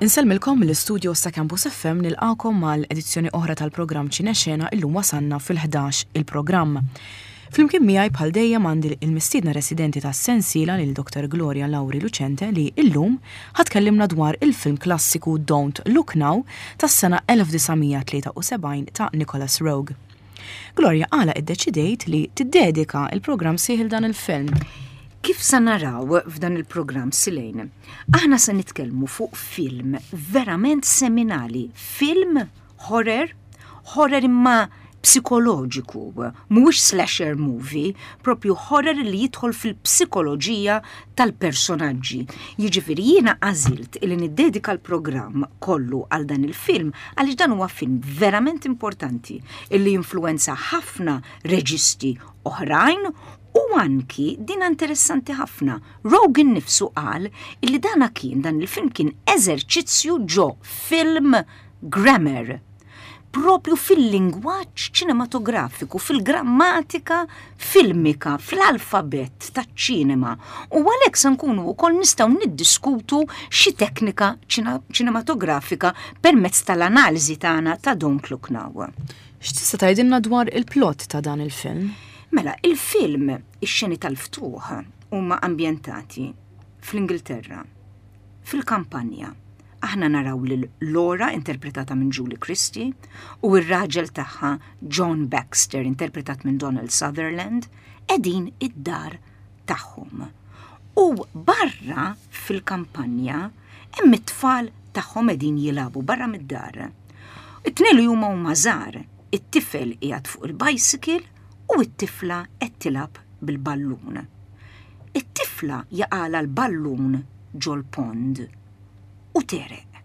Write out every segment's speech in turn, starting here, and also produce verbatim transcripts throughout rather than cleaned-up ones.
Insellmilkom mill-istudio sa' Campus F M, nilqakom mal-edizzjoni oħra tal-programm Ċinexena. Illum wasanna fil-ħdax il-programm. Flimkien miegħi bħal dejjem għandi il-mistiedna residenti tas-sensiela lil Doctor Gloria Lauri Lucente, li illum ħa tkellimna dwar il-film klassiku Don't Look Now tas-sena elf disa' mija tlieta u sebgħin ta' Nicholas Roeg. Gloria, għala iddeċidejt li tiddedika il-programm sħiħ dan il-film? Kif sa naraw f'dan il-programm, Silejn, aħna se nitkellmu fuq film verament seminali, film horror, horror imma psikoloġiku, mhuwiex slasher movie, propju horror li jidħol fil-psikoloġija tal-personaġġi. Jiġifieri jiena għażilt li niddedika l-programm kollu għal dan il-film għaliex dan huwa film verament importanti illi influenza ħafna reġisti oħrajn u anki din interessanti ħafna. Roeg innifsu qal illi dana kien dan il-film kien eżerċizzju ġo film grammar, propju fil-lingwaġġ ċinematografiku, fil-grammatika filmika, fl-alfabet taċ-ċinema. U għalhekk se nkunu wkoll nistgħu niddiskutu xi teknika ċinematografika permezz tal-analiżi tagħna ta' Don't Look Now. X'tista' tgħidilna dwar il-plot ta' dan il-film? Mela, il-film, ix-xeni tal-ftuħ huma ambjentati fl-Ingilterra, fil-kampanja. Aħna naraw lil Laura, interpretata minn Julie Christie, u r-raġel tagħha John Baxter, interpretat minn Donald Sutherland, qegħdin id-dar tagħhom. U barra fil-kampanja hemm it-tfal tagħhom qegħdin jilagħbu barra mid-dar. It-tnejn li huma huma żgħar, it-tifel qiegħed fuq il-bicycle u t-tifla qed tilgħab bil-ballun. It-tifla jaqgħalha l-ballun ġol-pond u tegħreq.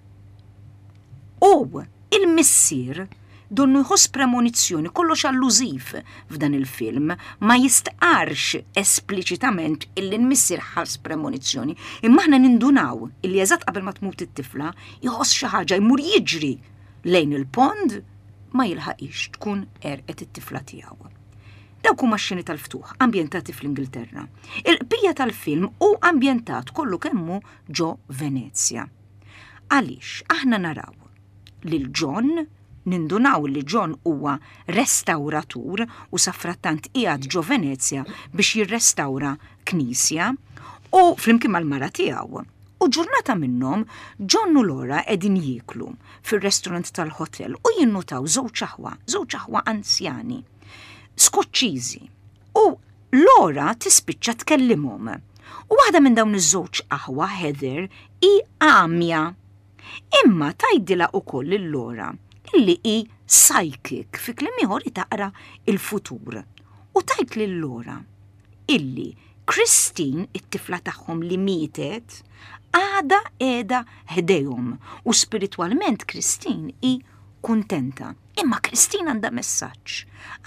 U il-missier donnu jħoss premonizzjoni, kollox allużiv f'dan il-film, ma jistqarx espliċitament illi l-missier ħass premonizzjoni, imma aħna nindunaw illi eżatt qabel ma tmut it-tifla jħoss xi ħaġa, jmur jiġri lejn il-pond, ma jilħaqix, tkun għerqet it-tifla tiegħu. Dawk huma x-xeni tal-ftuħ ambjentati fl-Ingilterra. Il-bqija tal-film hu ambjentat kollu kemmu ġo Venezja. Għaliex aħna naraw lil John, nindunaw li John huwa restauratur u safrattant qiegħed ġo Venezja biex jirrestawra knisja u flimkien mal-mara tiegħu. U ġurnata minnhom John u Laura qegħdin jieklu fir-restaurant tal-hotel u jinnutaw żewġ aħwa, żewġ aħwa anzjani Skoċċiżi. U Laura tispiċċa tkellimhom. U waħda minn dawn iż-żewġ aħwa, Heather, hi għamja. Imma tgħidilha ukoll lil Laura illi hi psychic, fi kliem ieħor taqra il-futur. U tgħid lil Laura illi Christine, it-tifla tagħhom li mietet, għada qiegħda ħdejhom u spiritwalment Christine hi kuntenta. Imma Christine għandha messaġġ.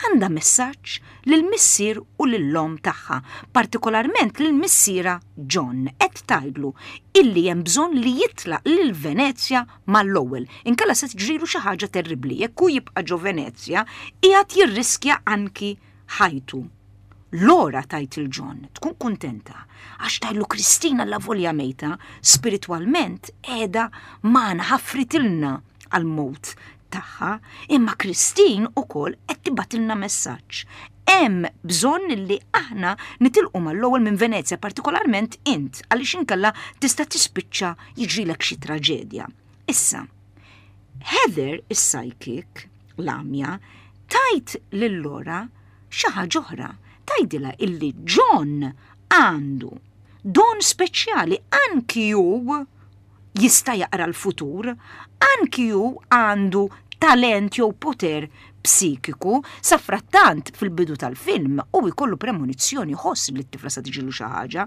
Għandha messaġġ lil missier u lill-omm tagħha, partikolarment lil missierha John. Qed tgħidlu illi hemm bżonn li jitlaq lil Venezja mal-ewwel. Inkella se tiġrilu xi ħaġa terribbli. Jekk hu jibqa' ġo Venezja, qiegħed jirriskja anki ħajtu. Laura tgħid lil John, tkun kuntenta, għax tgħidlu Kristina avolja mejta, spiritwalment qiegħda magħna, ħafritilna għal-mewt tagħha, imma Christine ukoll qed tibgħatilna messaġġ. Hemm bżonn li aħna nitilqu mal-ewwel minn Venezja, partikolarment int, għaliex inkella tista' tispiċċa jiġrilek xi traġedja. Issa, Heather is-psychic, l-għamja, tgħid lil Laura xi ħaġa oħra. Tgħidilha illi John għandu don speċjali, anki hu jista' jaqra l-futur, anki hu għandu talent jew poter psikiku. Safrattant fil-bidu tal-film u jkollu premonizzjoni, ħoss li t-tifla sa tiġilu xi ħaġa.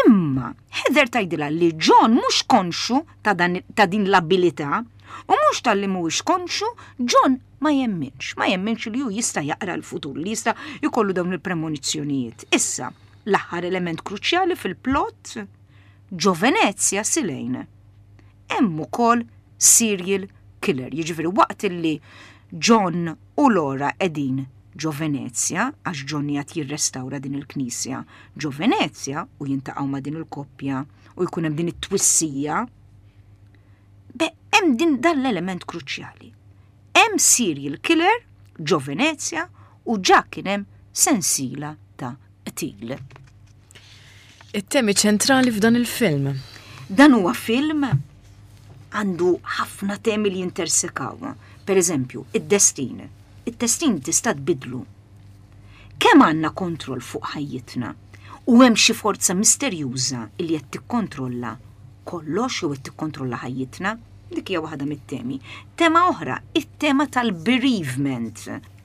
Imma Heather tgħidilha li John mhux konxu ta', dan, ta' din l-abilità u mhux talli mhuwiex konxu, John ma jemminx, ma jemminx li hu jista' jaqra l-futur, li jista' jkollu dawn il-premonizzjonijiet. Issa, l-aħħar element kruċjali fil-plot, ġo Venezja, Silejn, hemm ukoll serial killer. Jiġifieri waqt illi John u Laura qegħdin ġo Venezja, għax John qed jirrestawra din il-knisja ġo Venezja u jiltaqgħu ma' din il-koppja u jkun hemm din it-twissija, Hemm din dan l-element kruċjali. Hemm serial killer ġo Venezja u ġa kien hemm sensiela ta' qtil. It-temi ċentrali f'dan il-film. Dan huwa film għandu ħafna temi li jintersekaw. Per eżempju, id-destin. Id-destin tista' tbidlu. Kemm għandna kontroll fuq ħajjitna u hemm xi forza misterjuża li qed tikkontrolla kollox jew qed tikkontrolla ħajjitna? Dik hija waħda mit-temi. Tema oħra, it-tema tal-bereavement,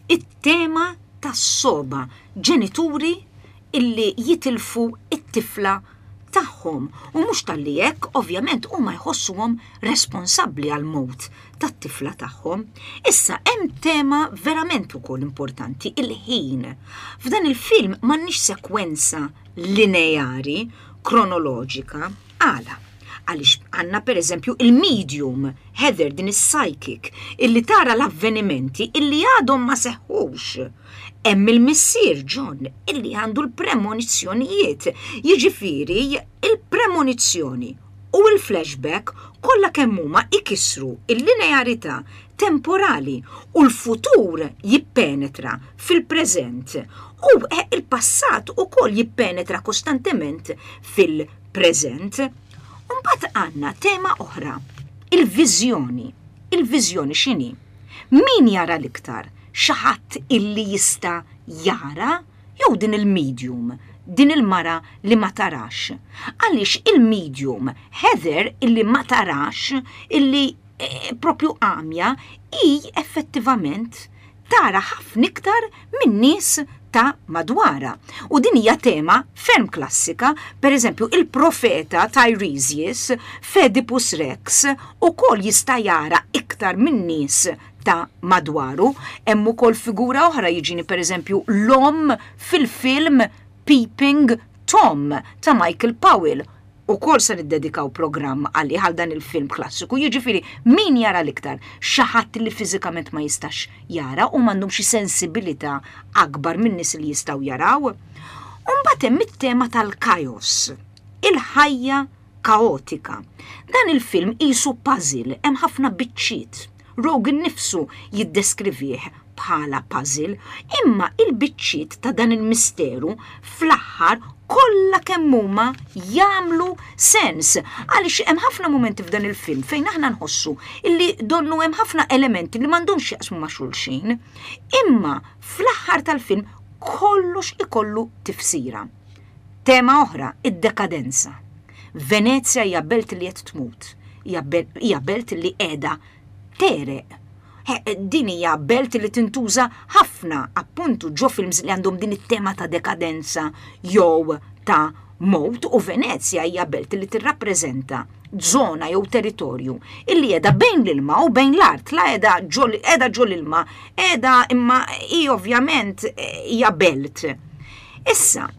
it-tema tas-soba, ġenituri illi jitilfu it-tifla tagħhom u mhux talli hekk ovvjament huma jħossuhom responsabbli għal mewt tat-tifla tagħhom. Issa hemm tema verament ukoll importanti, il-ħin. F'dan il-film m'għandniex sekwenza lineari, kronoloġika, għala. Għaliex għandna per eżempju il-medium, Heather din is-psychic, illi tara l-avvenimenti illi għadhom ma seħħux. Hemm il-missier John illi għandu l-premonizzjonijiet. Jiġifieri il-premonizzjoni u l-flashback kollha kemm huma ikissru il-linearità temporali u l-futur jippenetra fil-preżent u il-passat ukoll jippenetra kostantement fil-preżent. Mbagħad għandna tema oħra, il-viżjoni. Il-viżjoni x'inhi? Min jara l-iktar? Xi ħadd illi jista' jara jew din il-medium, din il-mara li ma tarax? Għaliex il-medium Heather illi ma tarax, illi eh, propju għamja, hi effettivament tara ħafna iktar minn nies ta' madwara. U din hija tema ferm klassika, per eżempju il-profeta Tiresias f'Oedipus Rex ukoll jista' jara iktar minn nies ta' madwaru. Hemm ukoll figura oħra jiġini per eżempju l-omm fil-film Peeping Tom ta' Michael Powell. Ukoll se niddedikaw programm għalih għal dan il-film klassiku, jiġifieri min jara l-iktar? Xi ħadd li fiżikament ma jistax jara u m'għandhom xi sensibilità akbar minn nies li jistgħu jaraw. U mbagħad hemm it-tema tal-chaos, il-ħajja kaotika. Dan il-film qisu puzzle, hemm ħafna biċċiet. Roeg nifsu jiddeskrivih bħala puzzle, imma il-biċċiet ta' dan il-misteru fl-aħħar kollha kemm huma jagħmlu sens. Għaliex hemm ħafna mumenti f'dan il-film fejn aħna nħossu illi donnu hemm ħafna elementi li m'għandhomx jaqsmu ma' xulxin, imma fl-aħħar tal-film kollox ikollu tifsira. Tema oħra, id-dekadenza. Venezja hija belt li qed tmut, hija belt li qiegħda tegħreq. Din hija belt li tintuża ħafna appuntu ġo films li għandhom din it-tema ta' dekadenza jew ta' mowt, u Venezja hija belt li tirrappreżenta żona jew territorju illi qiegħda bejn l-ilma u bejn l-art, la qiegħda qiegħda ġo l-ilma, qiegħda imma hi ovvjament hija belt. Issa,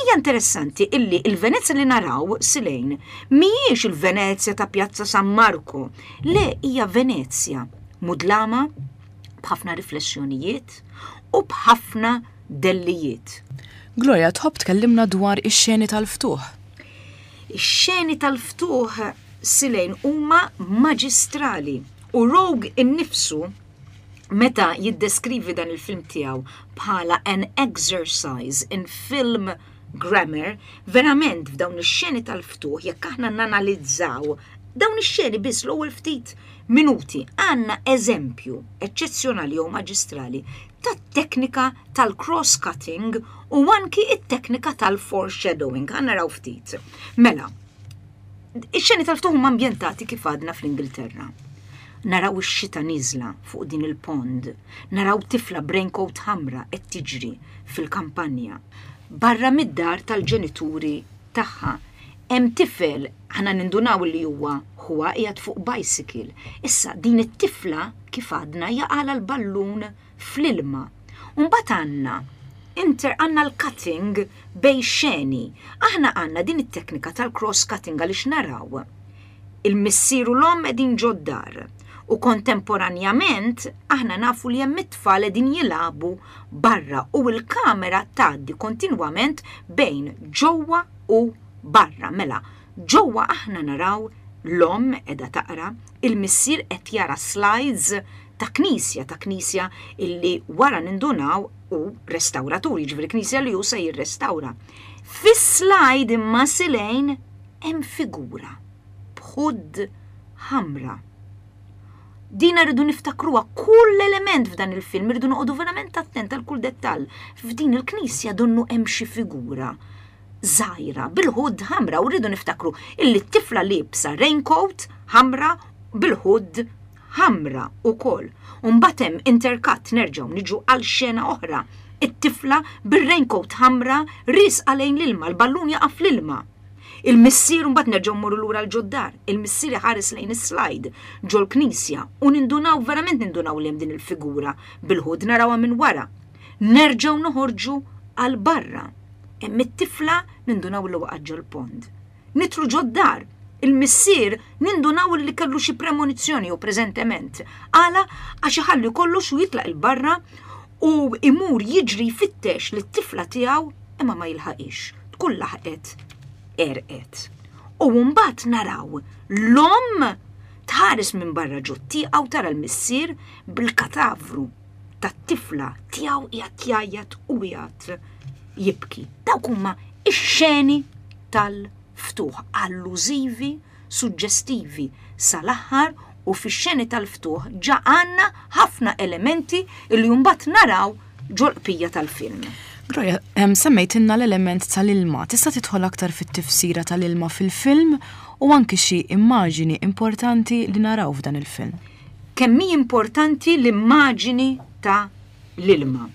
hija interessanti illi il-Venezja li naraw silejn mhijiex il-Venezja ta' Pjazza San Marco, le hija Venezja mudlama b'ħafna riflessjonijiet u b'ħafna dellijiet. Gloria, tħobb tkellimna dwar ix-xeni tal-ftuħ? Ix-xeni tal-ftuħ silejn huma maġistrali u Roeg innifsu meta jiddeskrivi dan il-film tiegħu bħala an exercise in film grammar, verament f'dawn ix-xeni tal-ftuħ jekk aħna nanalizzaw dawn ix-xeni biss l-ewwel ftit minuti, għandna eżempju eċċezzjonali jew maġistrali tat-teknika tal-cross-cutting u anki it-teknika tal-foreshadowing. Għandna naraw ftit. Mela, ix-xeni tal-ftuħ huma ambjentati kif għadna fl-Ingilterra. Naraw ix-xita niżla fuq din il-pond, naraw tifla b'raincoat ħamra qed tiġri fil-kampanja. Barra mid-dar tal-ġenituri tagħha hemm tifel, aħna nindunaw li huwa huwa qiegħed fuq bicycle. Issa din it-tifla kif għadna jaqala l-ballun fl-ilma. Mbagħad għandna inter għandna l-cutting bejn xeni. Aħna għandna din it-teknika tal-cross cutting għaliex naraw il-missier u l-omm qegħdin ġod-dar u kontemporanjament aħna nafu li hemm it-tfal qegħdin jilagħbu barra u l-kamera tgħaddi kontinwament bejn ġewwa u barra. Mela, ġewwa aħna naraw L-omm qiegħda taqra, il-missier qed jara slides ta' knisja, ta' knisja illi wara nindunaw hu restawratur, jiġifieri knisja li hu se jirrestawra. Fis-slide imma silejn hemm figura b'hood ħamra. Dina rridu niftakruha kull element f'dan il-film, rridu noqogħdu verament attent għal kull dettall. F'din il-knisja donnu hemm xi figura żgħira bil-hood ħamra u rridu niftakru illi t-tifla liebsa raincoat ħamra bil-hood ħamra ukoll. Mbagħad hemm intercut nerġgħu niġu għal xena oħra. It-tifla bir-raincoat ħamra riesqa lejn l-ilma, l-ballun jaqa' fl-ilma. Il-missier mbagħad nerġgħu mmorru lura l-ġod-dar. Il-missier iħares lejn is-slide ġol-knisja u nindunaw verament nindunaw li hemm din il-figura bil-hood narawha minn wara. Nerġgħu noħorġu għal barra. Hemm it-tifla nindunaw li waqgħet ġol-pond. Nidħlu ġod-dar. Il-missier nindunaw li kellu xi premonizzjoni u preżentement. Għala għax iħalli kollox u jitlaq il-barra u imur jiġri jfittex lit-tifla tiegħu imma ma jilħaqix. Tkun laħqet għerqet. U mbagħad naraw l-omm tħares minn barra ġot-tieqa u tara l-missier bil-katavru tat-tifla tiegħu qiegħed jgħajjat u qiegħed jibki. Dawk huma ix-xeni tal-ftuħ allużivi, suġġestivi sal-aħħar u fix-xeni tal-ftuħ ġa għandna ħafna elementi li mbagħad naraw ġol-qpija tal-film. Gloria, em, semmejtilna l-element tal-ilma. Tista' tidħol aktar fit-tifsira tal-ilma fil-film u anki xi immaġini importanti li naraw f'dan il-film. Kemm hi importanti l-immaġini ta' l-ilma.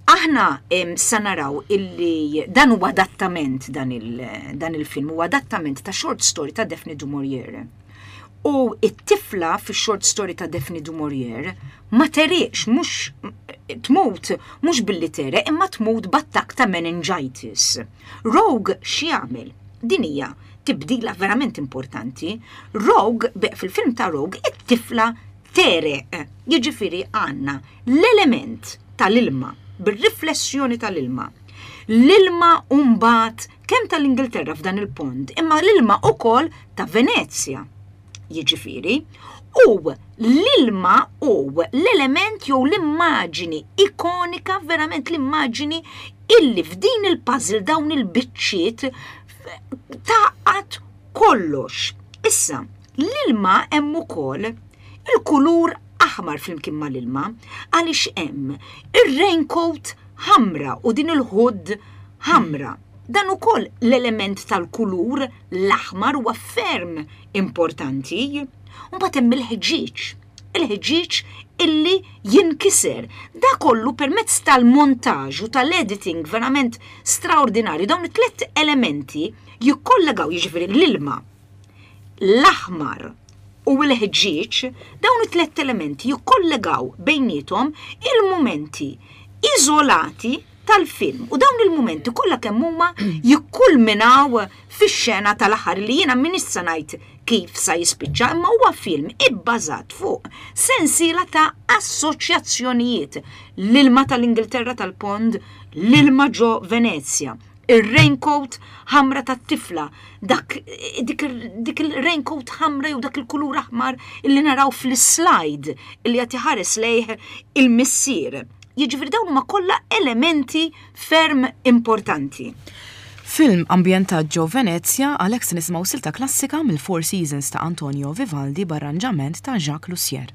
Aħna em, sa naraw illi dan huwa adattament dan il, dan il-film huwa adattament ta' short story ta' Daphne du Maurier. U it-tifla fi short story ta' Daphne du Maurier ma tegħreqx, mhux tmut, mhux billi tegħreq, imma tmut b'attakk ta' meningitis. Roeg x'jagħmel? Din hija tibdila verament importanti. Roeg, fil-film ta' Roeg, it-tifla tegħreq. Jiġifieri għandna l-element tal-ilma, bir-riflessjoni tal-ilma. L-ilma mbagħad kemm tal-Ingilterra f'dan il-pond, imma l-ilma ukoll ta' Venezja. Jiġifieri, u l-ilma u l-element jew l-immaġini ikonika, verament l-immaġini illi f'din il-puzzle dawn il-biċċiet tgħaqqad kollox. Issa, l-ilma hemm ukoll il-kulur aħmar flimkien mal-ilma għaliex hemm ir-raincoat ħamra u din il-hood ħamra. Dan ukoll l-element tal-kulur l-aħmar huwa ferm importanti. Mbagħad hemm il-ħġieġ, il-ħġieġ illi jinkiser. Da kollu permezz tal-montaġġ u tal-editing verament straordinarju. Dawn it-tliet elementi jikkollegaw, jiġifieri l-ilma, l-aħmar u l-ħġieġ, dawn it-tliet elementi jikkollegaw bejniethom il-momenti iżolati tal-film. U dawn il-momenti kollha kemm huma jikkulminaw fix-xena tal-aħħar li jiena min issa ngħid kif sa jispiċċa, imma huwa film ibbażat fuq sensiela ta' assoċjazzjonijiet. L-ilma tal-Ingilterra tal-Pond, l-ilma ġo Venezja, ir-raincoat ħamra tat-tifla, dak, dik, dik il-raincoat ħamra jew dak il-kulur aħmar illi naraw fl-slide illi qed iħares lejh il-missier. Jiġifieri dawn huma kollha elementi ferm importanti. Film ambjentat ġo Venezja, għalhekk se nisimgħu silta klassika mill-Four Seasons ta' Antonio Vivaldi b'arranġament ta' Jacques Loussier.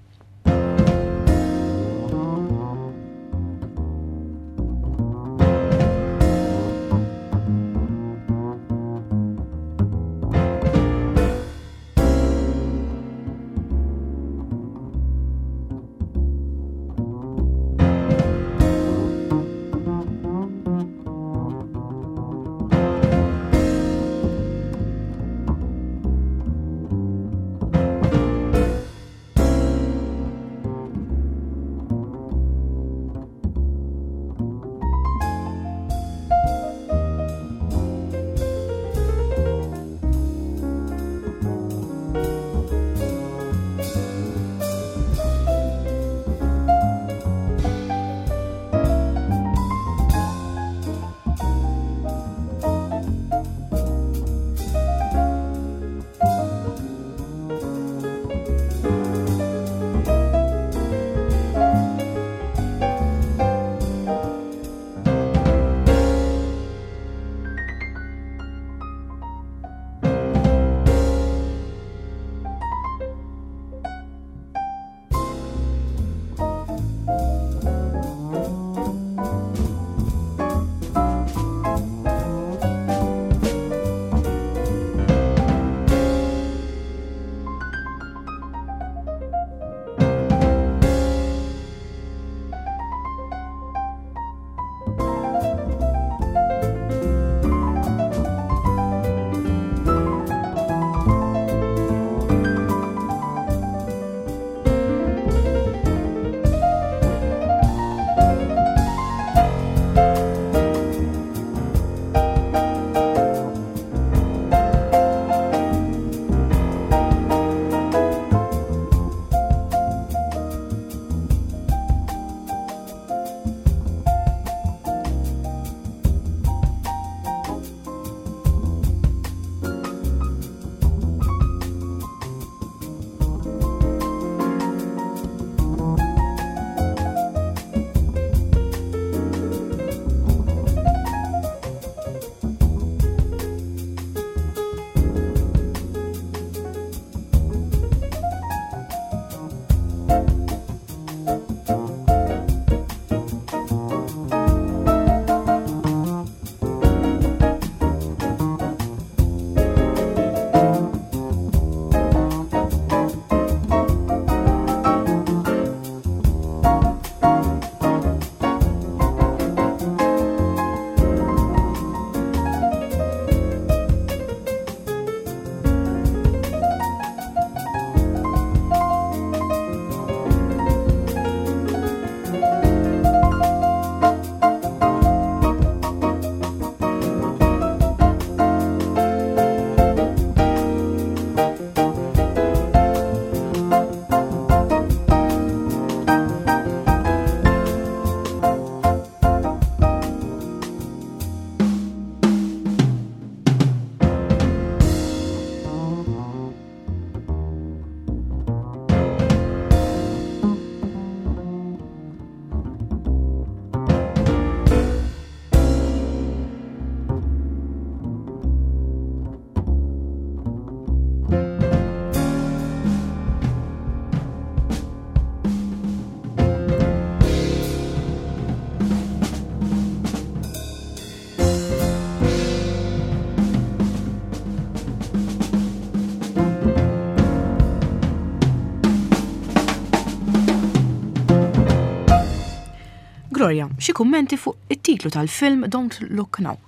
Gloria, xi kummenti fuq it-titlu tal-film Don't Look Now?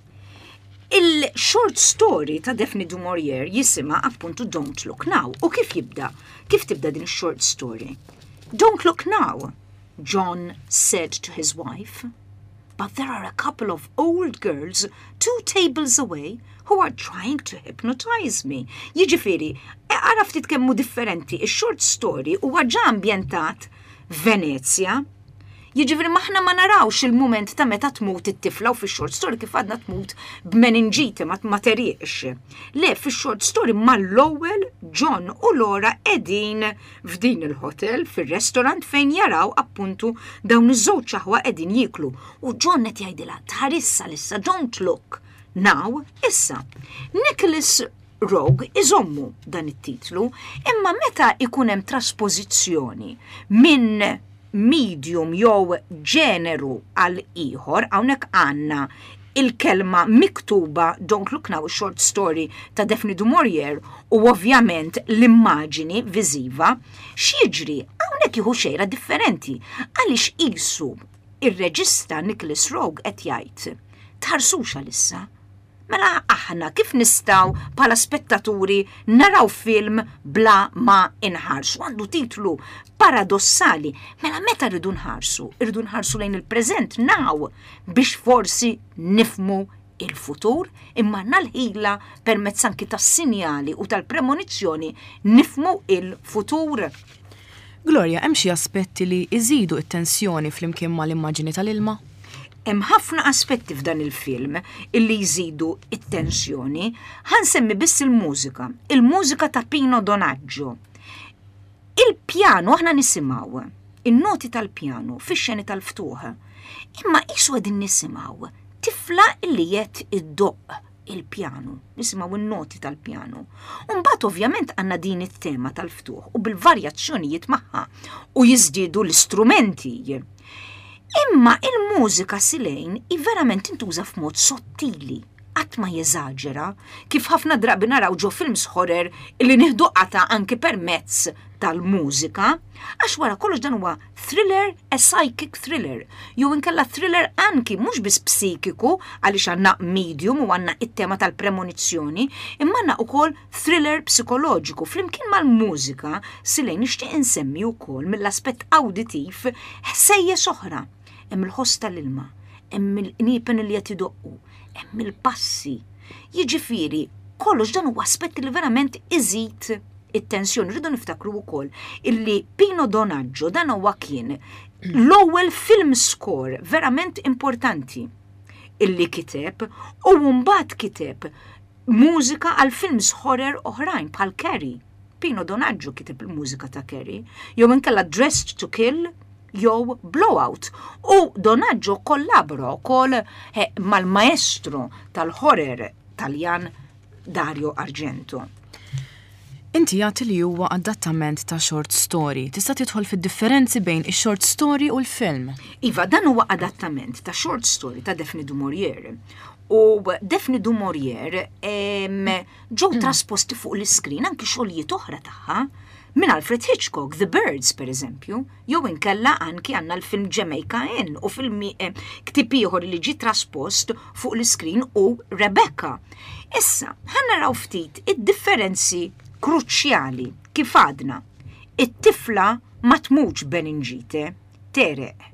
Il-short story ta' Daphne du Maurier jisimha appuntu Don't Look Now. U kif jibda? Kif tibda din short story? "Don't look now," John said to his wife. "But there are a couple of old girls two tables away who are trying to hypnotize me." Jiġifieri, ara ftit kemm hu differenti, il-short story huwa ġa ambjentat Venezia. Jiġifieri aħna ma narawx il-moment ta' meta tmut it-tifla u fix-short story kif għadna tmut b'meningite ma ma terieqx. Le, fix-short story mal-ewwel John u Laura qegħdin f'din il-hotel fir-restaurant fejn jaraw appuntu dawn iż-żewġ aħwa qegħdin jieklu. U John qed jgħidilha tħarisx issa, "Don't look now," issa. Nicholas Roeg iżommu dan it-titlu, imma meta ikun hemm traspożizzjoni minn medium jew ġeneru għal ieħor, hawnhekk għandna il-kelma miktuba Don't Look Now, short story ta' Daphne du Maurier, u ovvjament l-immaġini viżiva, x'jiġri? Hawnhekk jieħu xejra differenti għaliex qisu ir-reġista Nicholas Roeg qed jgħid tħarsux għalissa. Mela aħna kif nistgħu bħala spettaturi naraw film bla ma inħarsu? Għandu titlu paradossali. Mela meta rridu nħarsu? Irridu nħarsu lejn il-preżent, now, biex forsi nifhmu il-futur, imma nal-ħila permezz anki tas-sinjali u tal-premonizzjoni nifhmu il-futur. Gloria, hemm xi aspetti li iżidu it-tensjoni flimkien mal-immaġini tal-ilma? Hemm ħafna aspetti f'dan il-film illi jżidu it-tensjoni. Ħa nsemmi biss il-mużika. Il-mużika ta' Pino Donaggio. Il-pjanu, aħna nisimgħu in-noti tal-pjanu fix-xeni tal-ftuħ. Imma qisu qegħdin nisimgħu tifla illi qed iddoqq il-pjanu, nisimgħu in-noti tal-pjanu. Umbagħad ovvjament għandna din it-tema tal-ftuħ u bil-varjazzjonijiet magħha u jiżdiedu l-istrumenti. Imma il-mużika silejn i verament intuża f'mod sottili, qatt ma jeżaġera, kif ħafna drabi naraw ġo films horror illi nieħdu qata anki permezz tal-mużika, għax wara kollox dan huwa thriller, a psychic thriller, jew inkella thriller anki mhux biss psikiku għaliex għandna medium u għandna it-tema tal-premonizzjoni, imma għandna ukoll thriller psikoloġiku. Flimkien mal-mużika silejn nixtieq insemmi wkoll mill-aspett auditiv ħsejjes oħra. Hemm il-ħoss tal-ilma, hemm il-qniepen li qed idoqqu, hemm il-passi. Jiġifieri, kollox dan huwa aspetti li verament iżid it-tensjoni. Rridu niftakru wkoll illi Pino Donaggio dan huwa kien l-ewwel film score verament importanti illi kiteb u mbagħad kiteb mużika għal films horror oħrajn bħal Carrie. Pino Donaggio kiteb il-mużika ta' Carrie, jew inkella Dressed to Kill jew Blowout. U Donaggio kollabora wkoll eh, mal-maestro tal-horror Taljan Dario Argento. Inti għedt li huwa adattament ta' short story. Tista' tidħol fid-differenzi bejn ix-short story u l-film? Iva, dan huwa adattament ta' short story ta' Daphne du Maurier. U Daphne du Maurier ġew trasposti fuq l-iskrin anki xogħlijiet oħra tagħha minn Alfred Hitchcock, The Birds per eżempju, jew inkella anki għandna l-film Jamaica Inn u film eh, ktieb ieħor li ġi traspost fuq l-iskrin u Rebecca. Issa, ħa naraw ftit id-differenzi kruċjali kif għadna. It-tifla ma tmutx b'meningite, tegħreq.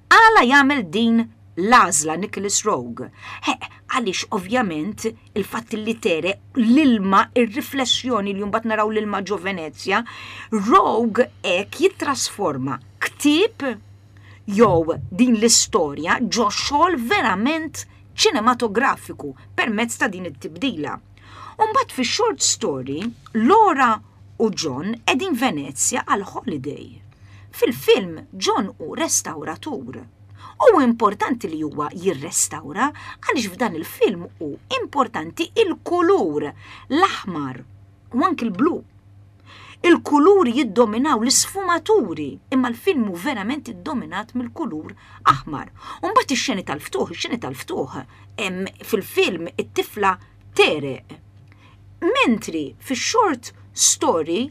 Għala jagħmel din l-għażla Nicholas Roeg? He, għaliex ovvjament il-fatt li tegħreq, l-ilma, il-riflessjoni li mbagħad naraw l-ilma ġo Venezia, Roeg hekk jittrasforma ktieb jew din l-istorja ġo xogħol verament ċinematografiku permezz ta' din it-tibdila. Umbagħad fi short story, Laura u John qegħdin Venezia għal holiday. Fil-film, John hu restauratur. U importanti li huwa jirrestawra għaliex f'dan il-film hu importanti il-kulur, l-aħmar u anki l-blu. Il-kuluri jiddominaw l-isfumaturi, imma l-film hu verament iddominat mill-kulur aħmar. Umbagħad ix-xeni tal-ftuħ, ix-xeni tal-ftuħ, fil-film it-tifla tegħreq. Mentri fix-short story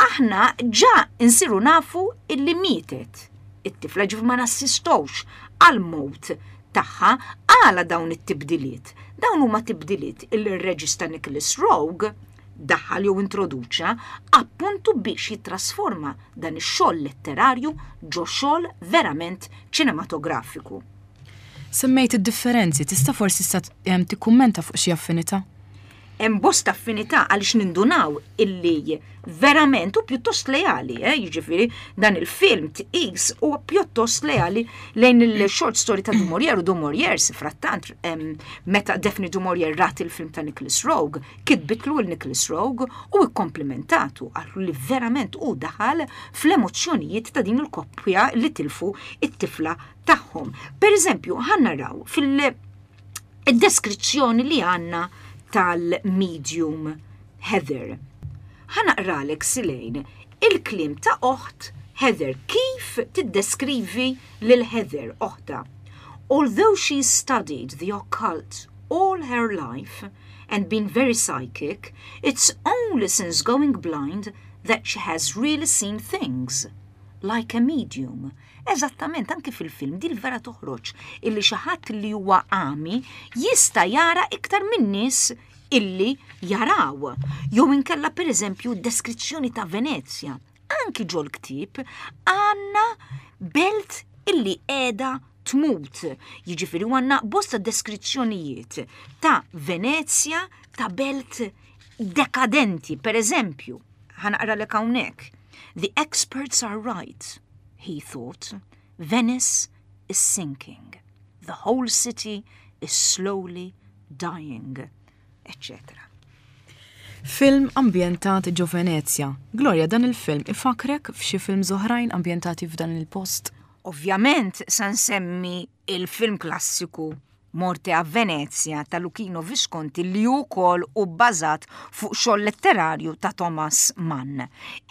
aħna ġa insiru nafu illi mietet it-tifla, ġif ma nassistowx għall-mewt tagħha. Għala dawn it-tibdiliet? Dawn huma tibdiliet il-reġista Nicholas Roeg daħal jew introduċa appuntu biex jittrasforma dan ix-xogħol letterarju ġo xogħol verament ċinematografiku. Semmejt id-differenzi, tista' forsi issa tikkummenta fuq xi affinità? Hemm bosta affinità għaliex nindunaw illi verament u pjuttost leali, eh? Jiġifieri dan il-film tqis u pjuttost leali lejn il-short story ta' Du Maurier u Du Maurier frattant meta Daphne Du Maurier rat il-film ta' Nicholas Roeg, kitbitlu il Nicholas Roeg u ikkomplimentatu għallu li verament u daħal fl-emozzjonijiet ta' din il-koppja li tilfu it-tifla tagħhom. Per eżempju, ħa naraw fil-deskrizzjoni li għandna tal-medium Heather. Ħa naqralek, Silejn, il-kliem ta' oħt Heather, kif tiddeskrivi lil Heather oħta. "Although she studied the occult all her life and been very psychic, it's only since going blind that she has really seen things, like a medium." Eżattament, anki fil-film dil vera toħroġ illi xi ħadd li huwa għami jista' jara iktar minn nies illi jaraw. Jew inkella, per eżempju, deskrizzjoni ta' Venezja. Anki ġol ktieb għandna belt illi qiegħda tmut. Jiġifieri għandna bosta deskrizzjonijiet ta' Venezja, ta' belt dekadenti, per eżempju. Ħa naqralek hawnhekk. "The experts are right, he thought. Venice is sinking. The whole city is slowly dying," et cetera. Film ambjentat ġo Venezja. Gloria, dan il-film ifakrek f'xi film oħrajn ambjentati f'dan il-post? Ovvjament, sa nsemmi il-film klassiku Morte a Venezia ta' Luchino Visconti li wkoll hu bbażat fuq xogħol letterarju ta' Thomas Mann.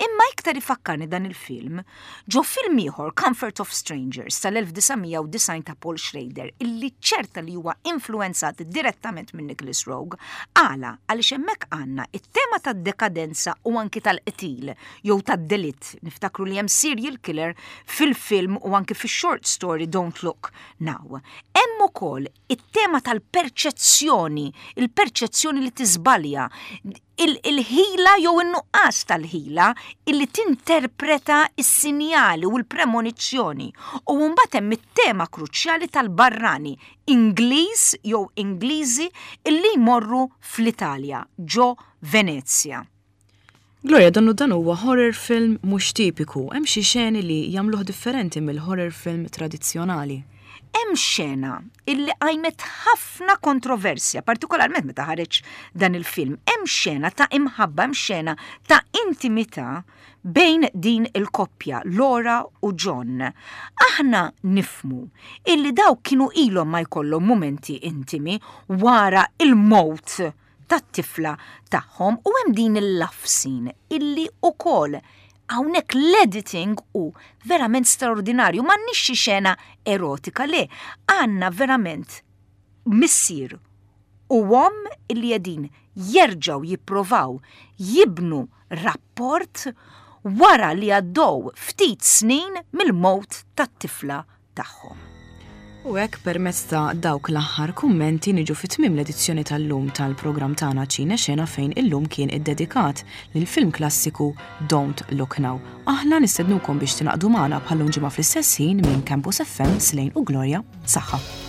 Imma iktar ifakkarni dan il-film ġo film ieħor, Comfort of Strangers tal-elf disa' mija u disgħin ta' Paul Schrader, illi ċerta li huwa influenzat direttament minn Nicholas Roeg. Għala? Għaliex hemmhekk għandna it-tema tad-dekadenza u anki tal-qtil jew tad-delitt. Niftakru li hemm serial killer fil-film u anki fix-short story Don't Look Now. Hemm ukoll it-tema tal-perċezzjoni, il-perċezzjoni li tiżbalja, il-ħila jew in-nuqqas tal-ħila illi tinterpreta is-sinjali u l-premonizzjoni. U mbagħad hemm it-tema kruċjali tal-barrani, Ingliż jew Ingliżi illi jmorru fl-Italja, ġo Venezja. Gloria, donnu dan huwa horror film mhux tipiku, hemm xi xeni li jagħmluh differenti mill-horror film tradizzjonali. Hemm xena illi qajmet ħafna kontroversja, partikolarment meta ħareġ dan il-film. Hemm xena ta' imħabba, hemm xena ta' intimità bejn din il-koppja, Laura u John. Aħna nifhmu illi daw kienu ilhom ma jkollhom momenti intimi wara il-mewt tat-tifla tagħhom u hemm din il-love scene illi ukoll hawnhekk l-editing hu verament straordinarju, m'għandniex xi xena erotika, le, għandna verament missier u omm illi qegħdin jerġgħu jipprovaw jibnu rapport wara li għaddew ftit snin mill-mewt tat-tifla tagħhom. U hekk, permezz ta' dawk l-aħħar kummenti, niġu fi tmiem l-edizzjoni tal-lum tal-programm tagħna Ċine Xena, fejn illum kien iddedikat lil film klassiku Don't Look Now. Aħna nistednukom biex tingħaqdu magħna bħal ġimgħa fl-istess ħin. Minn Campus F M, Slane u Gloria, saħħa.